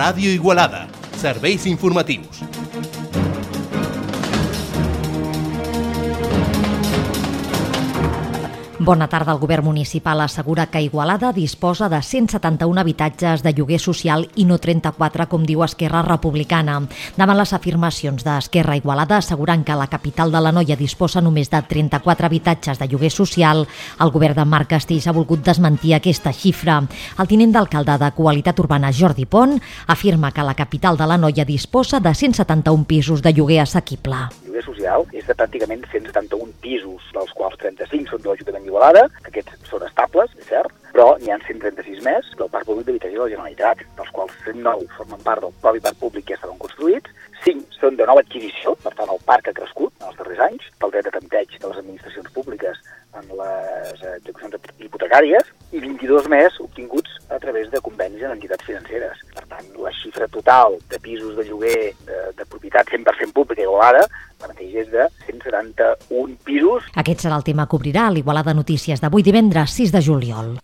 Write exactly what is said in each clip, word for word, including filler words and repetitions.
Ràdio Igualada. Serveis informatius. Bona tarda. El govern municipal assegura que Igualada disposa de cent setanta-un habitatges de lloguer social i no trenta-quatre, com diu Esquerra Republicana. Davant les afirmacions d'Esquerra, Igualada assegurant que la capital de l'Anoia disposa només de trenta-quatre habitatges de lloguer social, el govern de Marc Castells ha volgut desmentir aquesta xifra. El tinent d'alcalde de Qualitat Urbana, Jordi Pont, afirma que la capital de l'Anoia disposa de cent setanta-un pisos de lloguer assequible. El lloguer social és de pràcticament cent setanta-un pisos, dels quals trenta-cinc són de l'Ajuntament d'Igualada, que aquests són estables, és cert, però n'hi ha cent trenta-sis més del Parc Públic d'Habitatge de la Generalitat, dels quals cent nou formen part del propi Parc Públic que ja estaven construïts, cinc són de nova adquisició, per tant el parc ha crescut en els darrers anys, pel dret de tempteig de les administracions públiques en les execucions hipotecàries, i vint-i-dos més obtinguts a través de convenis en entitats financeres. Per tant, la xifra total de pisos de lloguer de, de propietat cent per cent pública a Igualada ara mateix és de cent setanta-un pisos. Aquest serà el tema que obrirà l'Igualada Notícies d'avui divendres sis de juliol.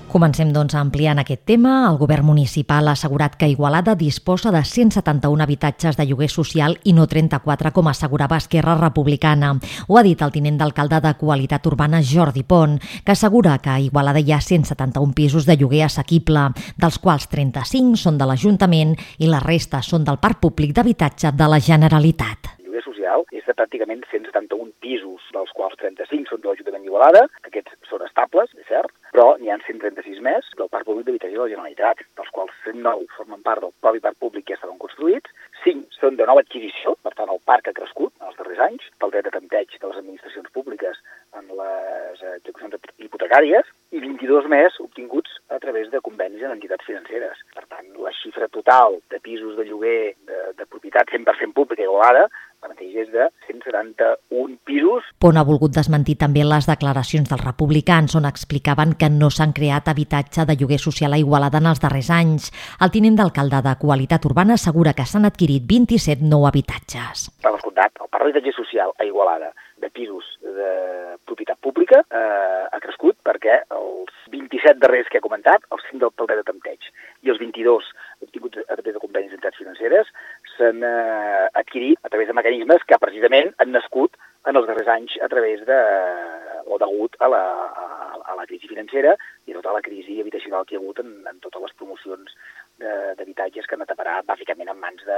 Comencem, doncs, ampliant aquest tema. El govern municipal ha assegurat que Igualada disposa de cent setanta-un habitatges de lloguer social i no trenta-quatre, com assegurava Esquerra Republicana. Ho ha dit el tinent d'alcalde de Qualitat Urbana, Jordi Pont, que assegura que a Igualada hi ha cent setanta-un pisos de lloguer assequible, dels quals trenta-cinc són de l'Ajuntament i la resta són del Parc Públic d'Habitatge de la Generalitat. El lloguer social és de pràcticament cent setanta-un pisos, dels quals trenta-cinc són de l'Ajuntament d'Igualada, que aquests són estables, és cert, però n'hi ha cent trenta-sis més del Parc Públic d'Habitatge de la Generalitat, dels quals cent nou formen part del propi Parc Públic que ja estaven construïts, cinc són de nova adquisició, per tant el parc ha crescut en els darrers anys, pel dret de tempteig de les administracions públiques en les execucions hipotecàries, i vint-i-dos més obtinguts a través de convenis en entitats financeres. Per tant, la xifra total de pisos de lloguer de, de propietat cent per cent pública a Igualada ara mateix és de cent setanta-un pisos. Pont ha volgut desmentir també les declaracions dels republicans, on explicaven que no s'han creat habitatge de lloguer social a Igualada en els darrers anys. El tinent d'alcalde de Qualitat Urbana assegura que s'han adquirit vint-i-set nou habitatges. Per descomptat, el parc d'habitatge social a Igualada de pisos de propietat pública eh, ha crescut perquè els vint-i-set darrers que he comentat, els cinc del dret de tempteig i els vint-i-dos obtinguts a través de convenis d'entitats financeres s'han eh, adquirit a través de mecanismes que precisament han nascut en els darrers anys a través de, o degut a la, a, a la crisi financera i a tota la crisi habitacional que hi ha hagut en, en totes les promocions d'habitatges que han anat a parar bàsicament en mans de,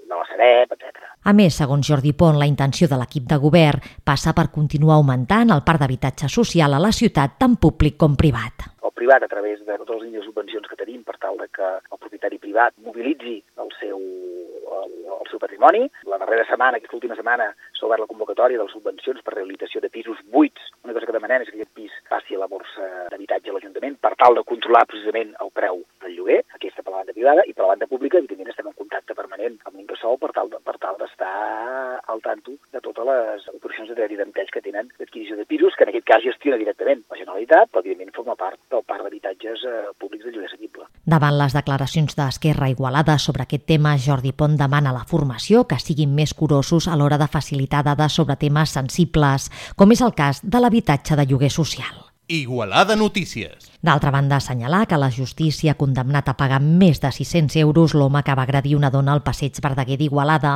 de la Sareb, etcètera. A més, segons Jordi Pont, la intenció de l'equip de govern passa per continuar augmentant el parc d'habitatge social a la ciutat, tant públic com privat. El privat, a través de totes les línies de subvencions que tenim per tal de que el propietari privat mobilitzi el seu, el, el seu patrimoni. La darrera setmana, aquesta última setmana, s'ha obert la convocatòria de les subvencions per rehabilitació de pisos buits. Una cosa que demanem és que aquest pis passi a la borsa d'habitatge a l'Ajuntament per tal de controlar precisament el preu del lloguer, aquesta per la banda privada, i per la banda pública, evidentment, estem en contacte permanent amb l'Incasòl per tal de, per tal d'estar al tanto de totes les operacions de dret i tempteig que tenen d'adquisició de pisos, que en aquest cas gestiona directament la Generalitat, però evidentment forma part del parc d'habitatges eh, públics de lloguer assequible. Davant les declaracions d'Esquerra Igualada sobre aquest tema, Jordi Pont demana a la formació que siguin més curosos a l'hora de facilitar dades sobre temes sensibles, com és el cas de l'habitatge de lloguer social. Igualada Notícies. D'altra banda, assenyalar que la justícia ha condemnat a pagar més de sis-cents euros l'home que va agredir una dona al passeig Verdaguer d'Igualada.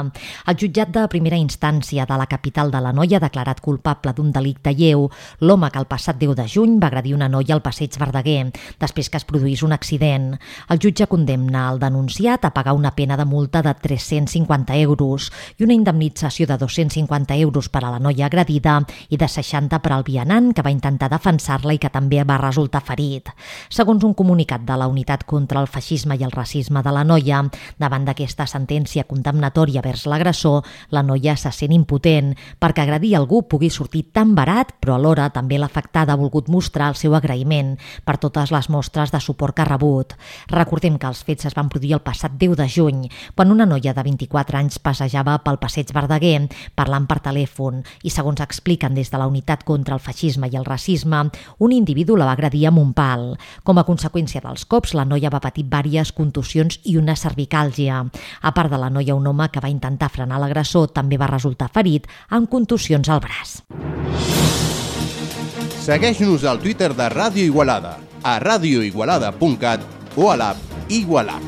El jutjat de primera instància de la capital de l'Anoia ha declarat culpable d'un delicte lleu l'home que el passat deu de juny va agredir una noia al passeig Verdaguer, després que es produís un accident. El jutge condemna el denunciat a pagar una pena de multa de tres-cents cinquanta euros i una indemnització de dos-cents cinquanta euros per a la noia agredida i de seixanta per al vianant que va intentar defensar-la i que també va resultar ferit. Segons un comunicat de la Unitat contra el Feixisme i el Racisme de la Noia, davant d'aquesta sentència condemnatòria vers l'agressor, la noia se sent impotent perquè agredir algú pugui sortir tan barat, però alhora també l'afectada ha volgut mostrar el seu agraïment per totes les mostres de suport que ha rebut. Recordem que els fets es van produir el passat deu de juny, quan una noia de vint-i-quatre anys passejava pel passeig Verdaguer parlant per telèfon i, segons expliquen des de la Unitat contra el Feixisme i el Racisme, un individu la va agredir amb un pal municipal. Com a conseqüència dels cops, la noia va patir diverses contusions i una cervicàlgia. A part de la noia, un home que va intentar frenar l'agressor també va resultar ferit amb contusions al braç. Segueix-nos al Twitter de Ràdio Igualada, a radio igualada punt cat o a l'app Igualab.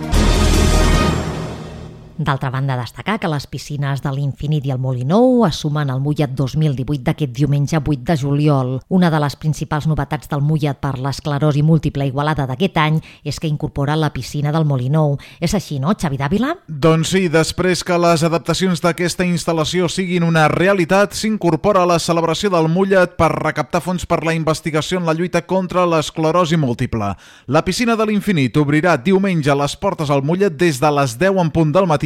D'altra banda, destacar que les piscines de l'Infinit i el Molinou es sumen al Mullet dos mil divuit d'aquest diumenge vuit de juliol. Una de les principals novetats del Mullet per l'esclerosi múltiple Igualada d'aquest any és que incorpora la piscina del Molinou. És així, no, Xavi Dávila? Doncs sí, després que les adaptacions d'aquesta instal·lació siguin una realitat, s'incorpora la celebració del Mullet per recaptar fons per la investigació en la lluita contra l'esclerosi múltiple. La piscina de l'Infinit obrirà diumenge les portes al Mullet des de les deu en punt del matí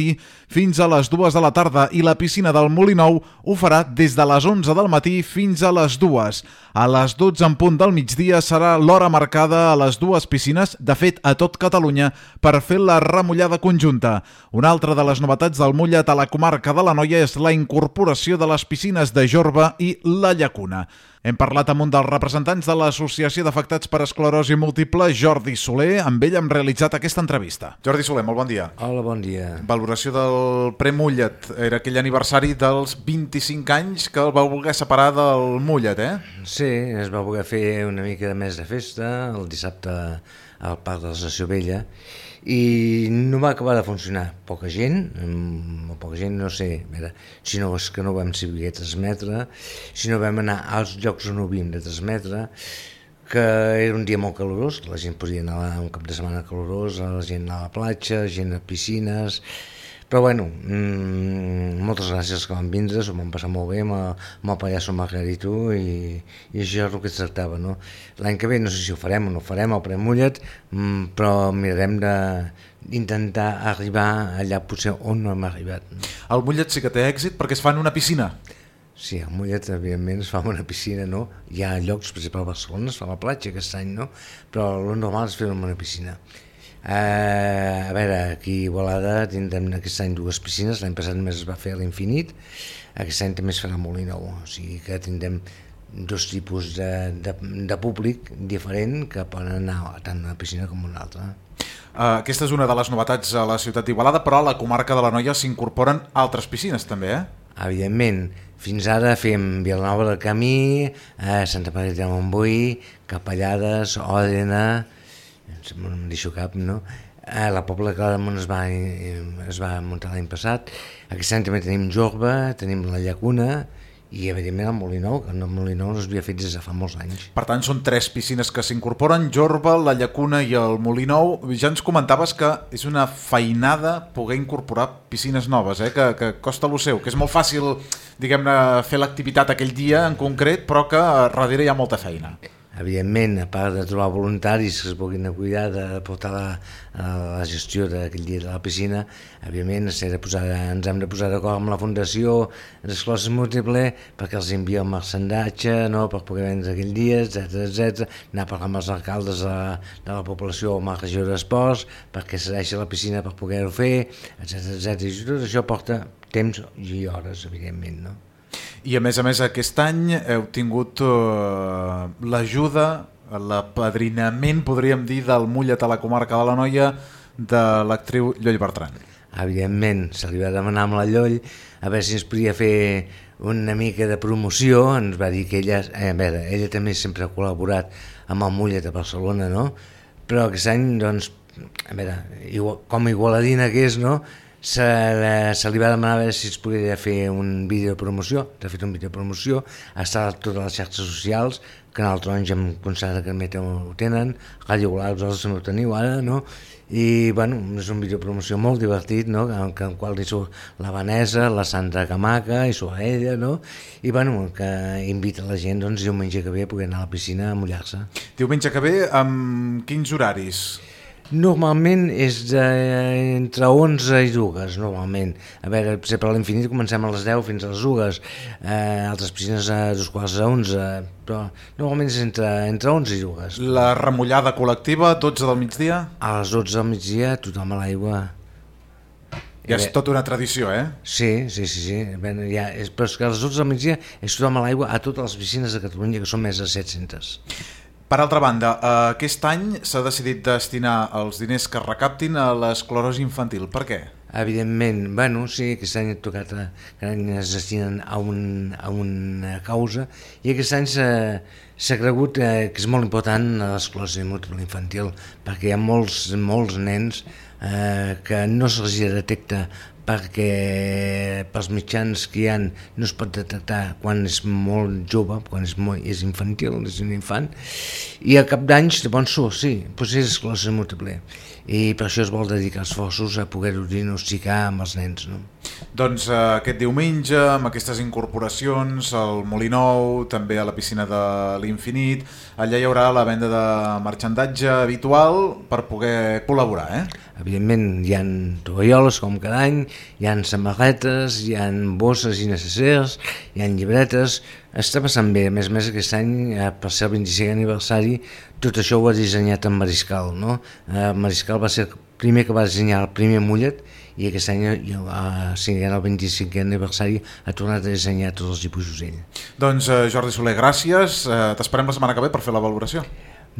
fins a les dues de la tarda i la piscina del Molinou ho farà des de les onze del matí fins a les dues. A les dotze en punt del migdia serà l'hora marcada a les dues piscines, de fet a tot Catalunya, per fer la remullada conjunta. Una altra de les novetats del Mullet a la comarca de l'Anoia és la incorporació de les piscines de Jorba i la Llacuna. Hem parlat amb un dels representants de l'Associació d'Afectats per Esclerosi Múltiple, Jordi Soler. Amb ell hem realitzat aquesta entrevista. Jordi Soler, molt bon dia. Hola, bon dia. Valoració del Premullet. Era aquell aniversari dels vint-i-cinc anys que el vau voler separar del Mullet, eh? Sí, es va voler fer una mica de més de festa el dissabte al Parc de l'Estació Vella i no va acabar de funcionar. Poca gent, poca gent no sé, a veure, si no és que no vam saber transmetre, si no vam anar als llocs on ho havíem de transmetre, que era un dia molt calorós, la gent podia anar un cap de setmana calorós, la gent anar a la platja, gent a piscines, però bueno, mmm, moltes gràcies que van vindre, s'ho vam passar molt bé amb el, amb el pallasso Margarito i, i això és el que es tractava, no? L'any que ve no sé si ho farem o no ho farem, el Premullet, mmm, però mirarem d'intentar arribar allà potser on no hem arribat. El Mullet sí que té èxit perquè es fa en una piscina. Sí, el Mullet, evidentment, es fa en una piscina, no? Hi ha llocs, per exemple, a Barcelona es fa a la platja aquest any, no? Però el normal és fer-ho en una piscina. Uh, a veure, aquí a Igualada tindrem aquest any dues piscines, l'any passat només es va fer a l'Infinit, aquest any també es farà a Molinou, o sigui que tindrem dos tipus de, de, de públic diferent que poden anar tant a una piscina com a una altra. Uh, aquesta és una de les novetats a la ciutat d'Igualada, però a la comarca de l'Anoia s'incorporen altres piscines també, eh? Evidentment, fins ara fem Vilanova del Camí, eh, Santa Margarida de Montbui, Capellades, Òdena, no em deixo cap, no? A la Pobla de Claramunt es va, es va muntar l'any passat. Aquest any també tenim Jorba, tenim la Llacuna i evidentment el Molinou, que el Molinou no s'havia fet des de fa molts anys. Per tant, són tres piscines que s'incorporen, Jorba, la Llacuna i el Molinou. Ja ens comentaves que és una feinada poder incorporar piscines noves, eh? que, que costa lo seu, que és molt fàcil, diguem-ne, fer l'activitat aquell dia en concret, però que darrere hi ha molta feina. Evidentment, a part de trobar voluntaris que es puguin cuidar de portar la, la gestió d'aquell dia de la piscina, evidentment de posar, ens hem de posar d'acord amb la Fundació d'Esclerosi Múltiple perquè els envia el marcendatge, no, per poder vendre aquell dia, etcètera, etcètera. Anar a parlar amb els alcaldes de la, de la població o amb el regidor d'Esports perquè cedeixi la piscina per poder-ho fer, etcètera, etcètera. I tot això porta temps i hores, evidentment, no? I a més a més aquest any heu tingut uh, l'ajuda, l'apadrinament, podríem dir, del Mullet a la comarca de l'Anoia de l'actriu Lloll Bertran. Evidentment, se li va demanar amb la Lloll a veure si ens podia fer una mica de promoció, ens va dir que ella, eh, a veure, ella també sempre ha col·laborat amb el Mullet a Barcelona, no? Però aquest any, doncs, a veure, igual, com a igualadina que és, no? Se, se li va demanar a veure si es podia fer un vídeo de promoció, de fet un vídeo de promoció, està a totes les xarxes socials, Canal Taronja em constata que també ho tenen, Ràdio Igualada, vosaltres també ho teniu ara, no? I bueno, és un vídeo de promoció molt divertit, no? En el qual hi surt la Vanessa, la Sandra Camaca, hi surt ella, no? I bueno, que invita la gent, doncs, diumenge que ve a poder anar a la piscina a mullar-se. Diumenge que ve, amb quins horaris? Normalment és de, entre onze i dues, normalment. A veure, per exemple, a l'Infinit comencem a les deu fins a les dues, eh, altres piscines a dos quarts a onze, però normalment és entre, entre onze i dues. La remullada col·lectiva, dotze del migdia? A les dotze del migdia, tothom a l'aigua. Ja és tota una tradició, eh? Sí, sí, sí, sí. Ben, ja, és, però és que a les dotze del migdia és tothom a l'aigua a totes les piscines de Catalunya, que són més de set-centes. Per altra banda, aquest any s'ha decidit destinar els diners que es recaptin a l'esclerosi infantil. Per què? Evidentment, bueno, sí, aquest any ha tocat, que any es destinen a, un, a una causa, i aquest any s'ha cregut eh, que és molt important l'esclerosi múltiple infantil, perquè hi ha molts, molts nens eh, que no se'ls detecta perquè pels mitjans que hi ha no es pot detectar quan és molt jove, quan és, molt, és infantil, és un infant, i al cap d'anys de bon surt, sí, potser és esclerosi múltiple, i per això es vol dedicar esforços a poder-ho diagnosticar amb els nens, no? Doncs eh, aquest diumenge, amb aquestes incorporacions, al Molí Nou, també a la piscina de l'Infinit, allà hi haurà la venda de marxandatge habitual per poder col·laborar, eh? Evidentment, hi ha tovalloles com cada any, hi ha samarretes, hi ha bosses i necessers, hi ha llibretes. Està passant bé, a més a més aquest any, per ser el vint-i-cinquè aniversari, tot això ho ha dissenyat en Mariscal, no? Mariscal va ser el primer que va dissenyar el primer mullet, i aquest any, el vint-i-cinquè aniversari, ha tornat a dissenyar tots els dibuixos ell. Doncs Jordi Soler, gràcies. T'esperem la setmana que ve per fer la valoració.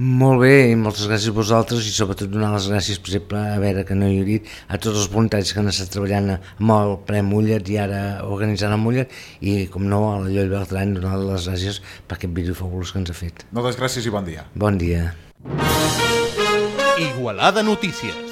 Molt bé, i moltes gràcies a vosaltres, i sobretot donar les gràcies, per exemple, a veure que no hi ha dit, a tots els voluntaris que han estat treballant amb el ple Mullet i ara organitzant el Mullet, i com no, a la Lloll Bertran, donar les gràcies per aquest vídeo fabulós que ens ha fet. Moltes gràcies i bon dia. Bon dia. Igualada Notícies.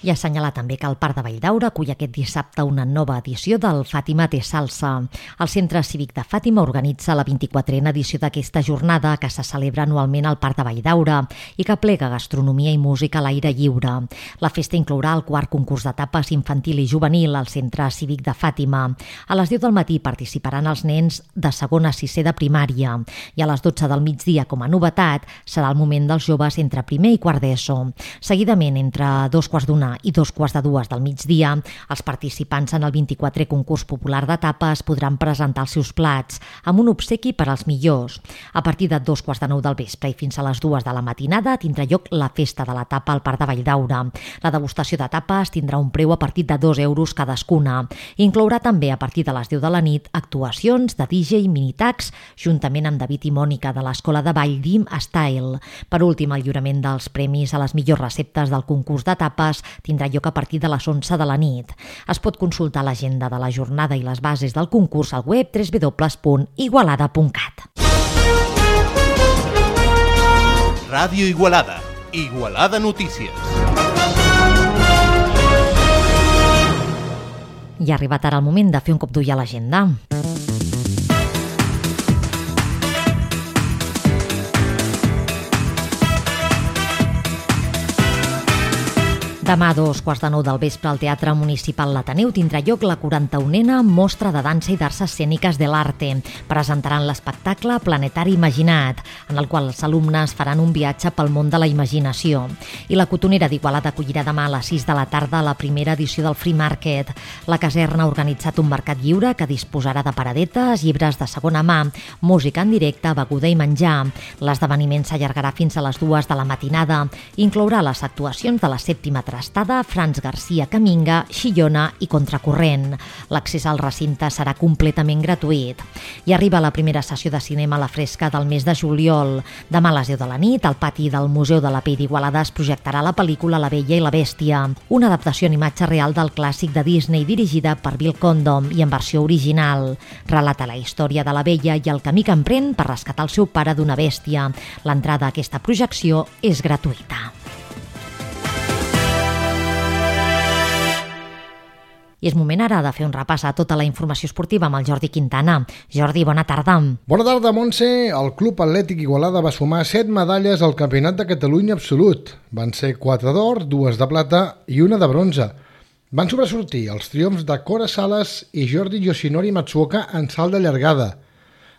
I assenyalar també que el Parc de Valldaura acull aquest dissabte una nova edició del Fàtima té salsa. El Centre Cívic de Fàtima organitza la vint-i-quatrena edició d'aquesta jornada que se celebra anualment al Parc de Valldaura i que plega gastronomia i música a l'aire lliure. La festa inclourà el quart concurs de tapes infantil i juvenil al Centre Cívic de Fàtima. A les deu del matí participaran els nens de segon a sisè de primària i a les dotze del migdia, com a novetat, serà el moment dels joves entre primer i quart d'ESO. Seguidament, entre dos quarts d'una i dos quarts de dues del migdia, els participants en el vint-i-quatrè concurs popular de tapes podran presentar els seus plats amb un obsequi per als millors. A partir de dos quarts de nou del vespre i fins a les dues de la matinada tindrà lloc la festa de la tapa al Parc de Valldaura. La degustació de tapes tindrà un preu a partir de dos euros cadascuna. Inclourà també a partir de les deu de la nit actuacions de D J Minitax juntament amb David i Mònica de l'Escola de Ball Dim Style. Per últim, el lliurament dels premis a les millors receptes del concurs de tapes tindrà lloc a partir de les onze de la nit. Es pot consultar l'agenda de la jornada i les bases del concurs al web w w w punt igualada punt cat. Ràdio Igualada. Igualada Notícies. I ha arribat ara el moment de fer un cop d'ull a l'agenda. Demà a dos quarts de nou del vespre al Teatre Municipal L'Ateneu tindrà lloc la quaranta-unena Mostra de Dansa i d'Arts Escèniques de l'Arte. Presentaran l'espectacle Planetari Imaginat, en el qual els alumnes faran un viatge pel món de la imaginació. I la Cotonera d'Igualada acollirà demà a les sis de la tarda la primera edició del Free Market. La caserna ha organitzat un mercat lliure que disposarà de paradetes, llibres de segona mà, música en directe, beguda i menjar. L'esdeveniment s'allargarà fins a les dues de la matinada. Inclourà les actuacions de la sèptima Estada, Franz Garcia Caminga, Xillona i Contracorrent. L'accés al recinte serà completament gratuït. I arriba la primera sessió de cinema a la fresca del mes de juliol. Demà a les deu de la nit, al pati del Museu de la Pell d'Igualada es projectarà la pel·lícula La Bella i la Bèstia, una adaptació en imatge real del clàssic de Disney dirigida per Bill Condon i en versió original. Relata la història de la Bella i el camí que emprèn per rescatar el seu pare d'una bèstia. L'entrada a aquesta projecció és gratuïta. I és moment ara de fer un repàs a tota la informació esportiva amb el Jordi Quintana. Jordi, bona tarda. Bona tarda, Montse. El Club Atlètic Igualada va sumar set medalles al Campionat de Catalunya absolut. Van ser quatre d'or, dues de plata i una de bronze. Van sobresortir els triomfs de Cora Sales i Jordi Yoshinori Matsuoka en salt de llargada,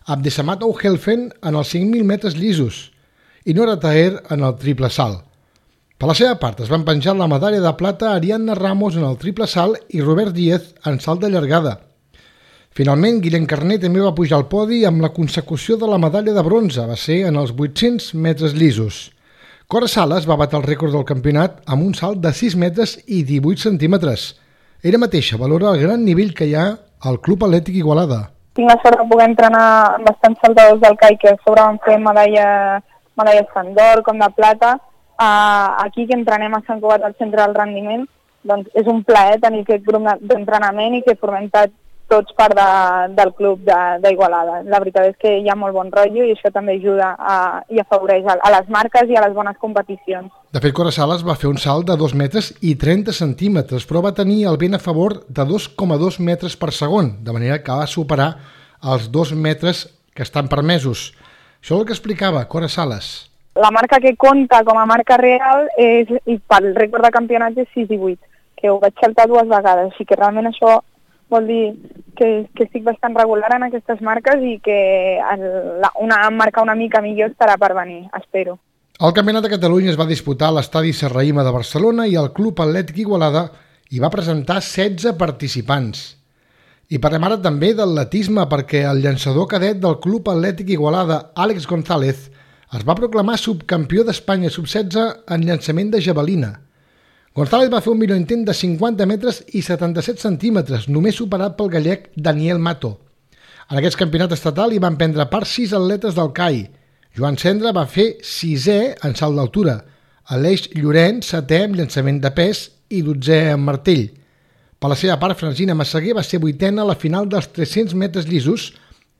Abdesamato Helfen en els cinc mil metres llisos i Nora Taher en el triple salt. Per la seva part, es van penjar la medalla de plata a Ariadna Ramos en el triple salt i Robert Díez en salt de llargada. Finalment, Guillem Carné també va pujar al podi amb la consecució de la medalla de bronze, va ser en els vuit-cents metres llisos. Cora Sales va batre el rècord del campionat amb un salt de sis metres i divuit centímetres. Ella mateixa valora el gran nivell que hi ha al Club Atlètic Igualada. tinc la sort de poder entrenar amb bastants saltadors del C A I que a sobre van fer medalla, medalles tant d'or com de plata. Uh, aquí que entrenem a Sant Cugat al centre del rendiment, doncs és un plaer tenir aquest grup d'entrenament i que formem tots part de, del club d'Igualada. La veritat és que hi ha molt bon rotllo i això també ajuda a, i afavoreix a, a les marques i a les bones competicions. De fet, Cora Sales va fer un salt de dos metres i trenta centímetres, però va tenir el vent a favor de dos coma dos metres per segon, de manera que va superar els dos metres que estan permesos. Això és el que explicava Cora Sales. La marca que compta com a marca real és, i pel rècord de campionat és sis divuit, que ho vaig saltar dues vegades, així que realment això vol dir que, que estic bastant regular en aquestes marques i que el, la, una marca una mica millor estarà per venir, espero. El Campionat de Catalunya es va disputar a l'estadi Serrahima de Barcelona i el Club Atlètic Igualada hi va presentar setze participants. I parlem ara també d'atletisme perquè el llançador cadet del Club Atlètic Igualada, Àlex González, es va proclamar subcampió d'Espanya sub setze en llançament de javelina. González va fer un millor intent de cinquanta metres i setanta-set centímetres, només superat pel gallec Daniel Mato. En aquest campionat estatal hi van prendre part sis atletes del C A I. Joan Cendra va fer sisè en salt d'altura, Aleix Llorenç setè en llançament de pes i dotzè en martell. Per la seva part, Francina Massaguer va ser vuitena a la final dels tres-cents metres llisos,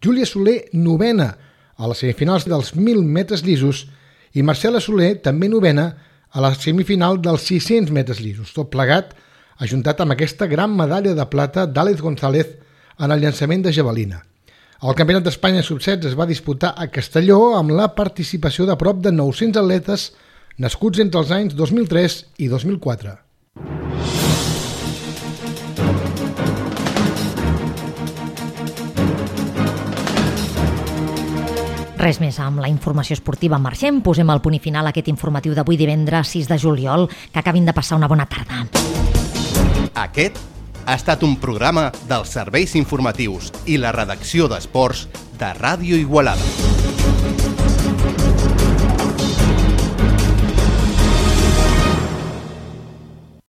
Júlia Soler novena a les semifinals dels mil metres llisos i Marcela Soler també novena a la semifinal dels sis-cents metres llisos. Tot plegat ajuntat amb aquesta gran medalla de plata d'Àlex González en el llançament de javelina. El Campionat d'Espanya sub setze es va disputar a Castelló amb la participació de prop de nou-cents atletes nascuts entre els anys dos mil tres i dos mil quatre. Res més amb la informació esportiva. Marxem, posem el punt i final a aquest informatiu d'avui divendres sis de juliol. Que acabin de passar una bona tarda. Aquest ha estat un programa dels serveis informatius i la redacció d'esports de Ràdio Igualada.